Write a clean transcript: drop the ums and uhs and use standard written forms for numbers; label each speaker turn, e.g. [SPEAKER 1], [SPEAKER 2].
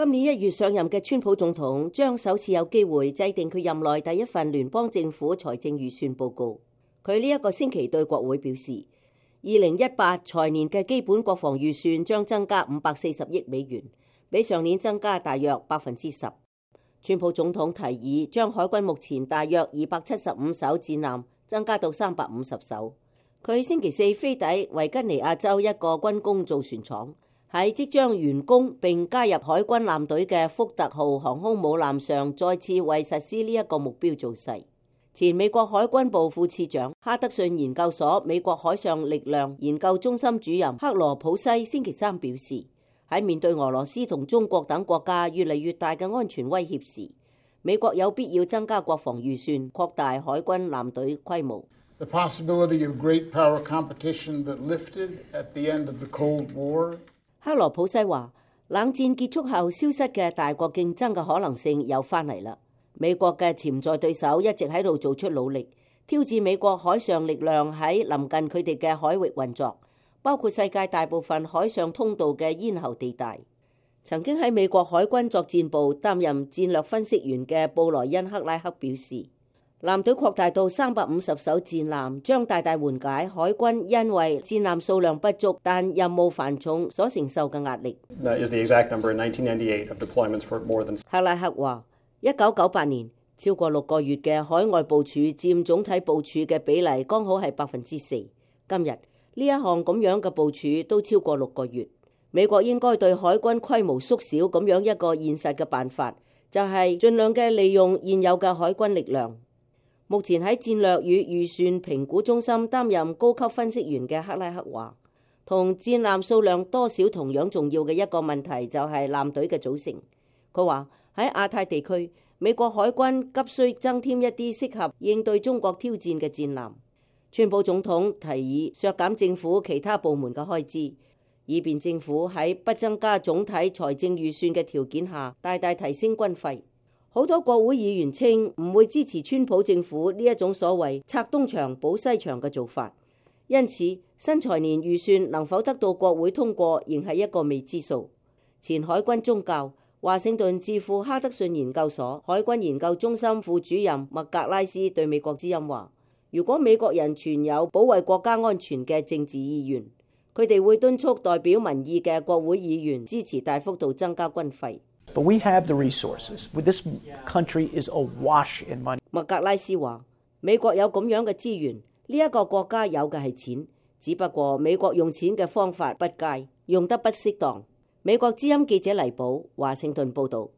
[SPEAKER 1] 今年1月上任嘅川普總統將首次有機會制定佢任內第一份聯邦政府財政預算報告。佢呢一個星期對國會表示，2018財年嘅基本國防預算將增加540億美元，比上年增加大約10%。川普總統提議將海軍目前大約275艘戰艦增加到350艘。佢星期四飛抵維吉尼亞州一個軍工造船廠，喺即將完工並加入海軍艦隊嘅福特號航空母艦上，再次為實施呢一個目標造勢。前美國海軍部副次長、哈德遜研究所美國海上力量研究中心主任克羅普西星期三表示，喺面對俄羅斯同中國等國家越嚟越大嘅安全威脅時，美國有必要增加國防預算，擴大海軍艦隊規模。
[SPEAKER 2] The possibility of great power competition that lifted at the end of the Cold War.
[SPEAKER 1] 克羅普西話，冷戰結束後消失嘅大國競爭嘅可能性又翻嚟啦。美國嘅潛在對手一直喺度做出努力，挑戰美國海上力量喺臨近佢哋嘅海域運作，包括世界大部分海上通道嘅咽喉地帶。曾經喺美國海軍作戰部擔任戰略分析員嘅布萊恩克拉克表示，艦隊擴大到350艘戰艦，將大大緩解海軍因為戰艦數量不足但任務繁重所承受嘅壓力。克拉克話，1998年超過6個月嘅海外部署佔總體部署嘅比例剛好係4%。今日呢一項咁樣嘅部署都超過6個月。美國應該對海軍規模縮小咁樣一個現實嘅辦法，就係盡量嘅利用現有嘅海軍力量。目前喺戰略與預算評估中心擔任高級分析員嘅克拉克話，同戰艦數量多少同樣重要嘅一個問題就係艦隊嘅組成。佢話喺亞太地區，美國海軍急需增添一啲適合應對中國挑戰嘅戰艦。川普總統提議削減政府其他部門嘅開支，以便政府喺不增加總體財政預算嘅條件下大大提升軍費。好多國會議員稱唔會支持川普政府呢一種所謂拆東牆補西牆嘅做法，因此新財年預算能否得到國會通過仍係一個未知數。前海軍宗教華盛頓智庫哈德遜研究所海軍研究中心副主任麥格拉斯對美國之音話，如果美國人存有保衛國家安全嘅政治意願，佢哋會敦促代表民意嘅國會議員支持大幅度增加軍費。
[SPEAKER 3] But we have the resources. This country is awash in money.
[SPEAKER 1] 麥格拉斯話，美國有咁樣嘅資源，呢一個國家有嘅係錢，只不過美國用錢嘅方法不佳，用得不適當。美國之音記者黎寶華盛頓報導。